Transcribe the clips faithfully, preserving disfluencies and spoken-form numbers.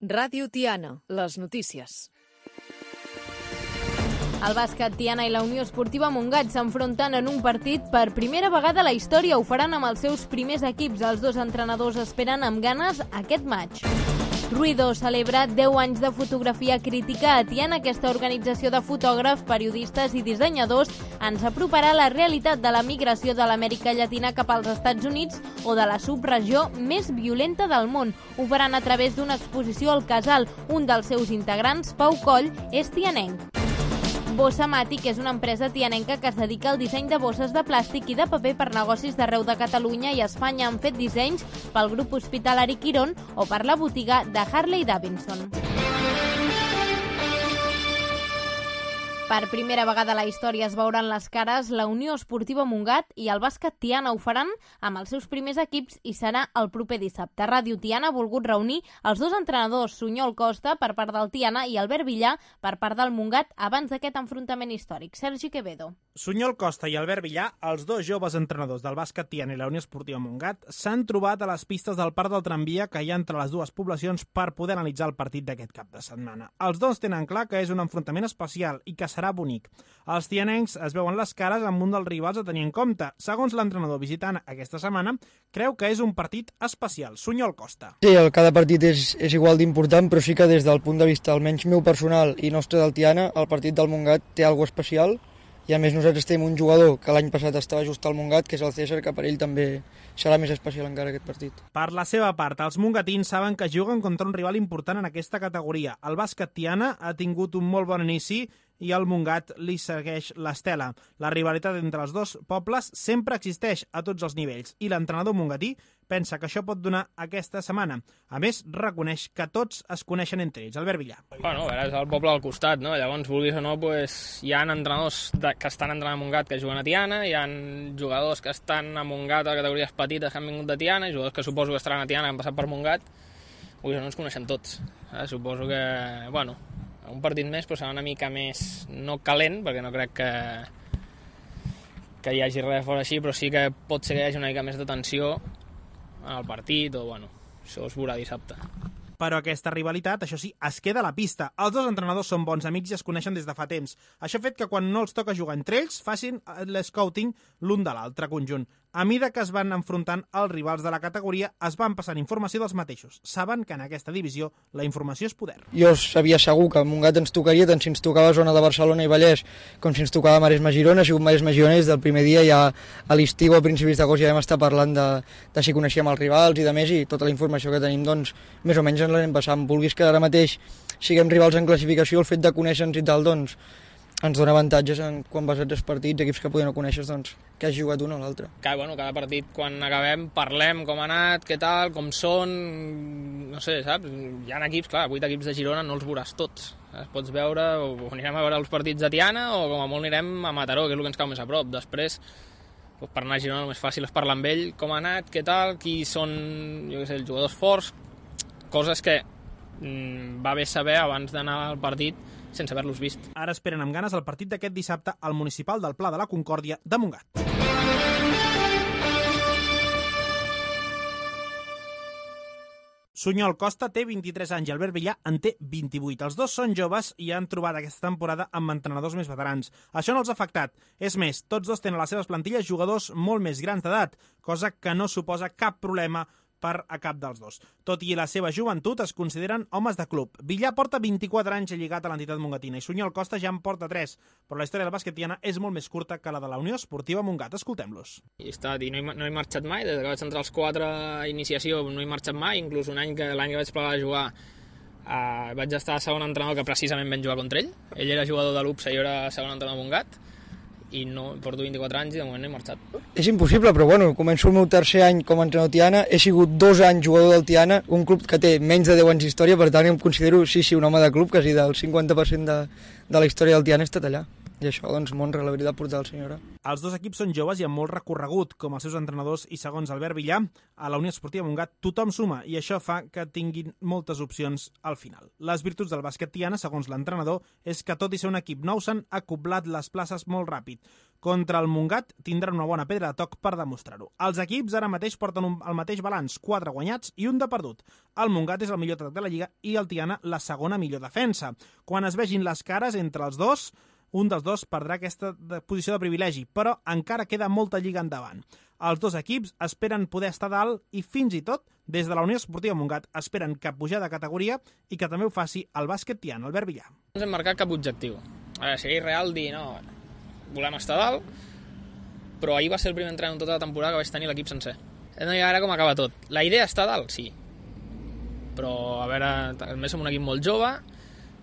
Ràdio Tiana, les notícies. El bàsquet Tiana i la Unió Esportiva Montgat s'enfronten en un partit per primera vegada a la història. Ho faran amb els seus primers equips. Els dos entrenadors esperen amb ganes aquest maig. Ruido celebra deu anys de fotografia crítica a Tiana. Aquesta organització de fotògrafs, periodistes i dissenyadors ens aproparà a la realitat de la migració de l'Amèrica Llatina cap als Estats Units o de la subregió més violenta del món. Ho faran a través d'una exposició al Casal. Un dels seus integrants, Pau Coll, és tianenc. Bossa Matic és una empresa tianenca que es dedica al disseny de bosses de plàstic i de paper per negocis d'arreu de Catalunya i Espanya. Han fet dissenys pel grup hospitalari Quirón o per la botiga de Harley Davidson. Per primera vegada a la història es veuran les cares la Unió Esportiva Montgat i el bàsquet Tiana. Ho faran amb els seus primers equips i serà el proper dissabte. Ràdio Tiana ha volgut reunir els dos entrenadors, Sunyol Costa per part del Tiana i Albert Villar per part del Montgat abans d'aquest enfrontament històric. Sergi Quevedo. Sunyol Costa i Albert Villar, els dos joves entrenadors del bàsquet Tiana i la Unió Esportiva Montgat, s'han trobat a les pistes del parc del tramvia que hi ha entre les dues poblacions per poder analitzar el partit d'aquest cap de setmana. Els dos tenen clar que és un enfrontament especial i que serà bonic. Els tianencs es veuen les cares amb un dels rivals a tenir en compte. Segons l'entrenador visitant aquesta setmana, creu que és un partit especial. Sunyol Costa. Sí, el cada partit és, és igual d'important, però sí que des del punt de vista almenys meu personal i nostre del Tiana, el partit del Montgat té alguna cosa especial i a més nosaltres tenim un jugador que l'any passat estava just al Montgat, que és el César, que per ell també serà més especial encara aquest partit. Per la seva part, els mongatins saben que juguen contra un rival important en aquesta categoria. El bàsquet Tiana ha tingut un molt bon inici i el Montgat li segueix l'estela. La rivalitat entre els dos pobles sempre existeix a tots els nivells i l'entrenador mongatí pensa que això pot donar aquesta setmana. A més, reconeix que tots es coneixen entre ells. Albert Villar. Bueno, és el poble al costat, no? Llavors, vulguis o no, pues, hi ha entrenadors de, que estan entrenant a Montgat que juguen a Tiana, hi ha jugadors que estan a Montgat a categories petites que han vingut de Tiana, i jugadors que suposo que estaran a Tiana que han passat per Montgat. Vulguis o no, ens coneixem tots. Eh? Suposo que, bueno, un partit més però serà una mica més, no calent, perquè no crec que que hi hagi res fora així, però sí que pot ser que hi hagi una mica més de tensió en el partit, o bueno, això es veurà dissabte. Però aquesta rivalitat, això sí, es queda a la pista. Els dos entrenadors són bons amics i es coneixen des de fa temps. Això ha fet que quan no els toca jugar entre ells, facin l'escouting l'un de l'altre conjunt. A mida que es van enfrontant els rivals de la categoria, es van passant informació dels mateixos. Saben que en aquesta divisió la informació és poder. Jo sabia segur que el Montgat ens tocaria, tant si ens tocava zona de Barcelona i Vallès, com si ens tocava Maresme-Girona. Ha sigut Maresme-Girona des del primer dia, ja a l'estiu, a principis d'agost, ja vam estar parlant de, de si coneixíem els rivals i de més, i tota la informació que tenim, doncs, més o menys ens l'anem passant. Vulguis que ara mateix siguem rivals en classificació, el fet de conèixer-nos i tal, doncs, ens dona avantatges en, quan vas a tres partits, equips que poden no conèixer, doncs, que has jugat un o l'altre. Cada, bueno, cada partit, quan acabem, parlem com ha anat, què tal, com són, no sé, saps? Hi ha equips, clar, vuit equips de Girona no els veuràs tots. Es pots veure, o anirem a veure els partits de Tiana, o com a molt anirem a Mataró, que és el que ens cau més a prop. Després, doncs, per anar a Girona el més fàcil és parlar amb ell, com ha anat, què tal, qui són, jo què sé, els jugadors forts, coses que mm, va bé saber abans d'anar al partit, sense haver-los vist. Ara esperen amb ganes el partit d'aquest dissabte al municipal del Pla de la Concòrdia de Montgat. Sunyol Costa té vint-i-tres anys i Albert Villar en té vint-i-vuit. Els dos són joves i han trobat aquesta temporada amb entrenadors més veterans. Això no els ha afectat. És més, tots dos tenen a les seves plantilles jugadors molt més grans d'edat, cosa que no suposa cap problema per a cap dels dos. Tot i la seva joventut, es consideren homes de club. Villar porta vint-i-quatre anys lligat a l'entitat mongatina i Sunyol Costa ja en porta tres, però la història del bàsquet tiana és molt més curta que la de la Unió Esportiva Montgat. Escoltem-los. I, està, i no, he, no he marxat mai, des que vaig entrar als quatre a iniciació no he marxat mai, inclús un any que l'any que vaig plegar a jugar eh, vaig estar a segon entrenador que precisament vam jugar contra ell. Ell era jugador de l'U P S A i jo era segon entrenador de Montgat, i no, porto vint-i-quatre anys i de moment no he marxat. És impossible, però bueno, començo el meu tercer any com a entrenador Tiana, he sigut dos anys jugador del Tiana, un club que té menys de deu anys d'història, per tant em considero, sí, sí, un home de club, quasi del cinquanta per cent de, de la història del Tiana ha estat allà. i això doncs m'honra la veritat portar el senyora. Els dos equips són joves i amb molt recorregut, com els seus entrenadors, i segons Albert Villar, a la Unió Esportiva Montgat tothom suma i això fa que tinguin moltes opcions al final. Les virtuts del bàsquet Tiana, segons l'entrenador, és que tot i ser un equip nou s'han acoblat les places molt ràpid. Contra el Montgat tindran una bona pedra de toc per demostrar-ho. Els equips ara mateix porten un, el mateix balanç, quatre guanyats i un de perdut. El Montgat és el millor atac de la Lliga i el Tiana la segona millor defensa. Quan es vegin les cares entre els dos, un dels dos perdrà aquesta posició de privilegi, però encara queda molta lliga endavant. Els dos equips esperen poder estar dalt i fins i tot, des de la Unió Esportiva Montgat, esperen cap pujar de categoria i que també ho faci el bàsquet Tiana, Albert Villar. No ens hem marcat cap objectiu. A veure, seria irreal dir, no, volem estar dalt, però ahir va ser el primer entrenament en tota la temporada que vaig tenir l'equip sencer. No hi ha ara com acaba tot. La idea està dalt, sí, però a veure, a més som un equip molt jove,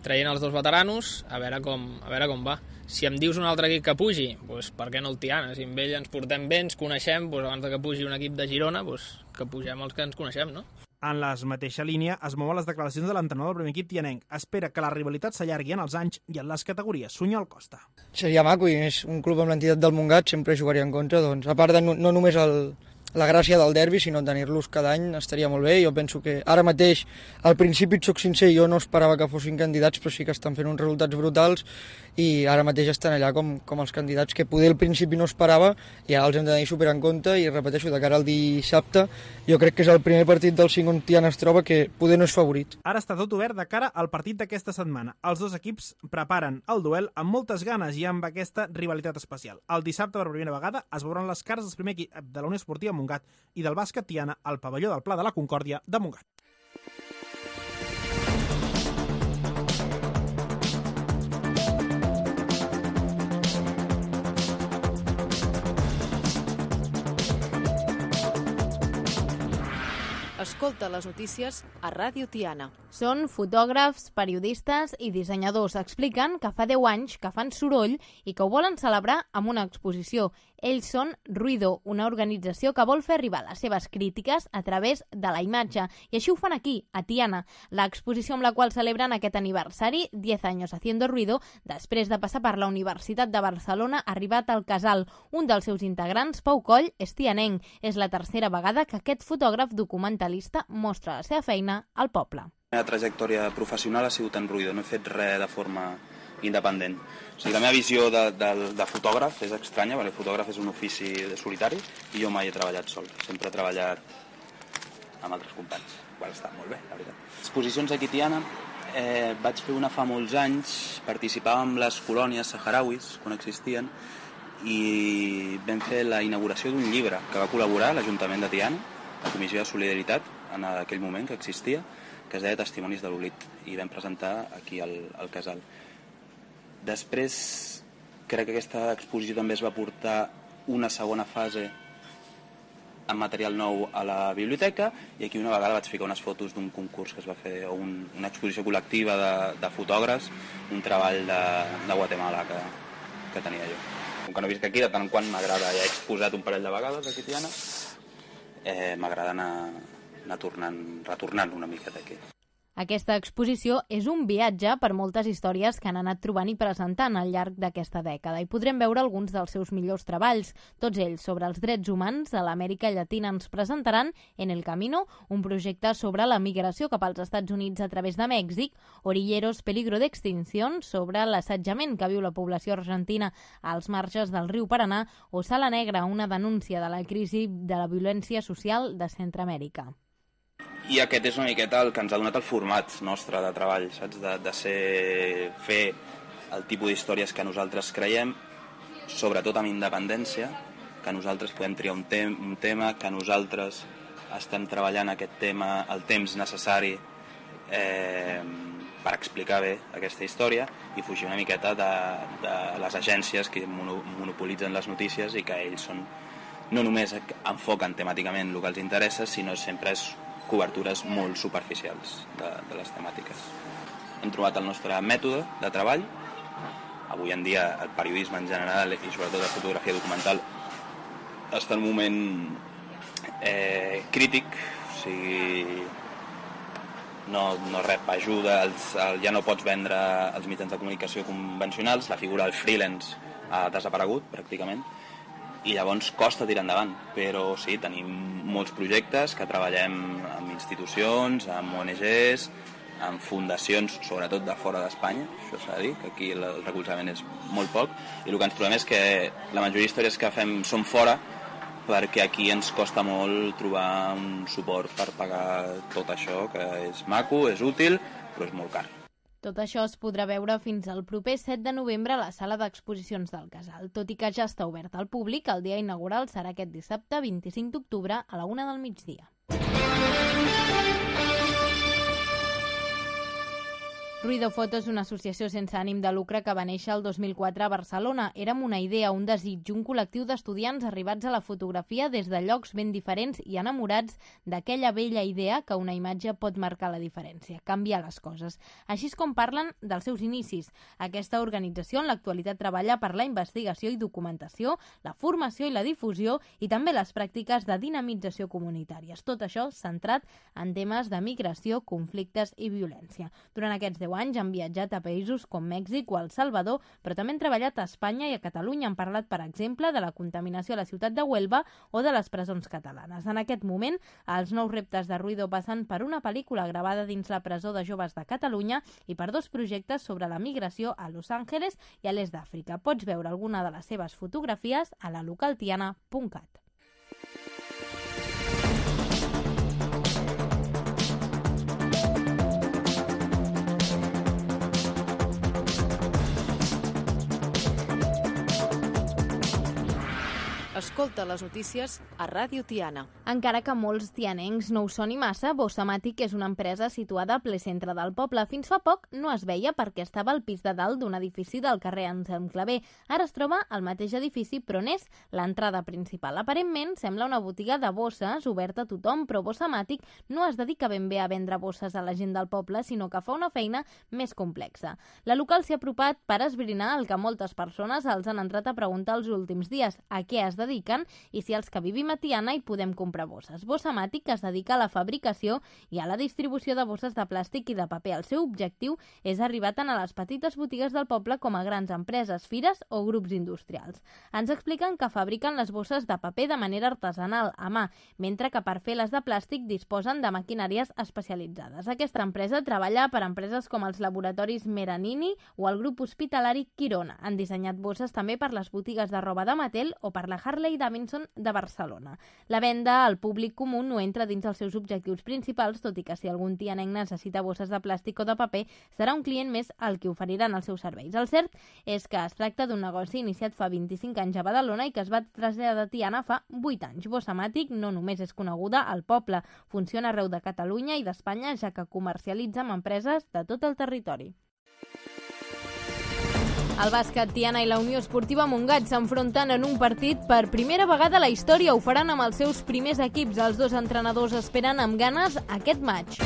traient els dos veteranos, a veure com, a veure com va. Si em dius un altre equip que pugi, doncs per què no el Tiana? Si amb ell ens portem bé, ens coneixem, doncs abans que pugi un equip de Girona, doncs que pugem els que ens coneixem, no? En la mateixa línia es mouen les declaracions de l'entrenador del primer equip tianenc. Espera que la rivalitat s'allargui en els anys i en les categories. Sunyol Costa. Seria maco i és un club amb l'entitat del Montgat, sempre jugaria en contra, doncs, a part de no, no només el, la gràcia del derbi, sinó tenir-los cada any estaria molt bé. Jo penso que ara mateix, al principi, et soc sincer, jo no esperava que fossin candidats, però sí que estan fent uns resultats brutals i ara mateix estan allà com, com els candidats que poder al principi no esperava i ara els hem de tenir super en compte i repeteixo, de cara al dissabte jo crec que és el primer partit del cinc on Tiana es troba que poder no és favorit. Ara està tot obert de cara al partit d'aquesta setmana. Els dos equips preparen el duel amb moltes ganes i amb aquesta rivalitat especial. El dissabte, per primera vegada, es veuran les cares del primer equip de la Unió Esportiva Montgat i del bàsquet Tiana al pavelló del Pla de la Concòrdia de Montgat. Escolta les notícies a Ràdio Tiana. Són fotògrafs, periodistes i dissenyadors. Expliquen que fa deu anys que fan soroll i que ho volen celebrar amb una exposició. Ells són Ruido, una organització que vol fer arribar les seves crítiques a través de la imatge. I així ho fan aquí, a Tiana. L'exposició amb la qual celebren aquest aniversari, diez años haciendo ruido, després de passar per la Universitat de Barcelona, ha arribat al Casal. Un dels seus integrants, Pau Coll, és tianenc. És la tercera vegada que aquest fotògraf documentalista mostra la seva feina al poble. La meva trajectòria professional ha sigut en ruïdo, no he fet res de forma independent. O sigui, la meva visió de, de, de fotògraf és estranya, perquè el fotògraf és un ofici de solitari i jo mai he treballat sol, sempre he treballat amb altres companys. Bueno, està molt bé, la veritat. Exposicions aquí a Tiana, eh, vaig fer una fa molts anys, participava amb les colònies saharauis, quan existien, i vam fer la inauguració d'un llibre que va col·laborar l'Ajuntament de Tiana, la Comissió de Solidaritat, en aquell moment que existia, que es deia Testimonis de l'Oblit, i vam presentar aquí al, al Casal. Després, crec que aquesta exposició també es va portar una segona fase amb material nou a la biblioteca, i aquí una vegada vaig ficar unes fotos d'un concurs que es va fer, o un, una exposició col·lectiva de, de fotògrafs, un treball de, de Guatemala que, que tenia jo. Com que no visc aquí, de tant en quant m'agrada, ja he exposat un parell de vegades aquí a Tiana, eh, m'agrada anar, anar tornant, retornant una miqueta aquí. Aquesta exposició és un viatge per moltes històries que han anat trobant i presentant al llarg d'aquesta dècada i podrem veure alguns dels seus millors treballs. Tots ells sobre els drets humans a l'Amèrica Llatina. Ens presentaran En el Camino, un projecte sobre la migració cap als Estats Units a través de Mèxic, Orilleros, peligro d'extinción, sobre l'assetjament que viu la població argentina als marges del riu Paranà, o Sala Negra, una denúncia de la crisi de la violència social de Centroamèrica. I aquest és una miqueta el que ens ha donat el format nostre de treball, saps? De, de ser, fer el tipus d'històries que nosaltres creiem, sobretot amb independència, que nosaltres podem triar un, tem un tema, que nosaltres estem treballant aquest tema el temps necessari eh, per explicar bé aquesta història i fugir una miqueta de, de les agències que mono monopolitzen les notícies i que ells són, no només enfoquen temàticament el que els interessa, sinó sempre és cobertures molt superficials de, de les temàtiques. Hem trobat el nostre mètode de treball. Avui en dia el periodisme en general i sobretot la fotografia documental està en un moment eh, crític, o sigui, no, no rep ajuda, els, el, ja no pots vendre els mitjans de comunicació convencionals, la figura del freelance ha desaparegut pràcticament, i llavors costa tirar endavant, però sí, tenim molts projectes que treballem amb institucions, amb O N Ges, amb fundacions, sobretot de fora d'Espanya, això s'ha de dir, que aquí el recolzament és molt poc, i el que ens trobem és que la majoria d'històries que fem són fora, perquè aquí ens costa molt trobar un suport per pagar tot això, que és maco, és útil, però és molt car. Tot això es podrà veure fins al proper set de novembre a la sala d'exposicions del Casal. Tot i que ja està obert al públic, el dia inaugural serà aquest dissabte vint-i-cinc d'octubre a la una del migdia. Ruido Foto és una associació sense ànim de lucre que va néixer el dos mil quatre a Barcelona. Érem una idea, un desig, un col·lectiu d'estudiants arribats a la fotografia des de llocs ben diferents i enamorats d'aquella vella idea que una imatge pot marcar la diferència, canviar les coses. Així és com parlen dels seus inicis. Aquesta organització en l'actualitat treballa per la investigació i documentació, la formació i la difusió i també les pràctiques de dinamització comunitàries. Tot això centrat en temes de migració, conflictes i violència. Durant aquests deu anys han viatjat a països com Mèxic o El Salvador, però també han treballat a Espanya i a Catalunya. Han parlat, per exemple, de la contaminació a la ciutat de Huelva o de les presons catalanes. En aquest moment, els nous reptes de Ruido passen per una pel·lícula gravada dins la presó de joves de Catalunya i per dos projectes sobre la migració a Los Angeles i a l'est d'Àfrica. Pots veure alguna de les seves fotografies a la localtiana punt cat. Escolta les notícies a Ràdio Tiana. Encara que molts tianencs no ho soni massa, Bossamàtic és una empresa situada a ple centre del poble. Fins fa poc no es veia perquè estava al pis de dalt d'un edifici del carrer Anselm Clavé. Ara es troba al mateix edifici, però n'és l'entrada principal. Aparentment sembla una botiga de bosses oberta a tothom, però Bossamàtic no es dedica ben bé a vendre bosses a la gent del poble, sinó que fa una feina més complexa. La local s'hi ha apropat per esbrinar el que moltes persones els han entrat a preguntar els últims dies: a què es dediquen i si els que vivim a Tiana hi podem comprar bosses. Bossamàtic es dedica a la fabricació i a la distribució de bosses de plàstic i de paper. El seu objectiu és arribar tant a les petites botigues del poble com a grans empreses, fires o grups industrials. Ens expliquen que fabriquen les bosses de paper de manera artesanal, a mà, mentre que per fer les de plàstic disposen de maquinàries especialitzades. Aquesta empresa treballa per empreses com els laboratoris Meranini o el grup hospitalari Quirona. Han dissenyat bosses també per les botigues de roba de Mattel o per la Harley Davidson de Barcelona. La venda al públic comú no entra dins els seus objectius principals, tot i que si algun tianenc necessita bosses de plàstic o de paper, serà un client més al que oferiran els seus serveis. El cert és que es tracta d'un negoci iniciat fa vint-i-cinc anys a Badalona i que es va traslladar a Tiana fa vuit anys. Bossamàtic no només és coneguda al poble, funciona arreu de Catalunya i d'Espanya, ja que comercialitza amb empreses de tot el territori. El bàsquet Tiana i la Unió Esportiva Montgat s'enfronten en un partit per primera vegada a la història. Ho faran amb els seus primers equips. Els dos entrenadors esperen amb ganes aquest maig.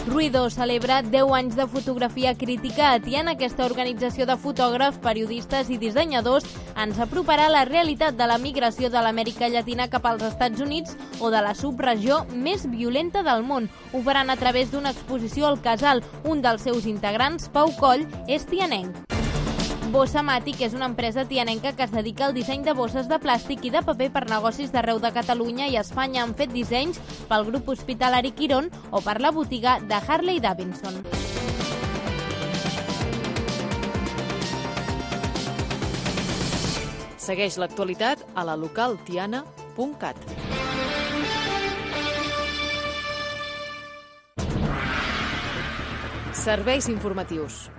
Ruido celebra deu anys de fotografia crítica a Tiana. Aquesta organització de fotògrafs, periodistes i dissenyadors ens aproparà a la realitat de la migració de l'Amèrica Llatina cap als Estats Units o de la subregió més violenta del món. Ho faran a través d'una exposició al Casal. Un dels seus integrants, Pau Coll, és tianenc. Bossamàtic és una empresa tianenca que es dedica al disseny de bosses de plàstic i de paper per negocis d'arreu de Catalunya i Espanya. Han fet dissenys pel grup hospitalari Quiron o per la botiga de Harley Davidson. Segueix l'actualitat a la localtiana punt cat. Serveis informatius.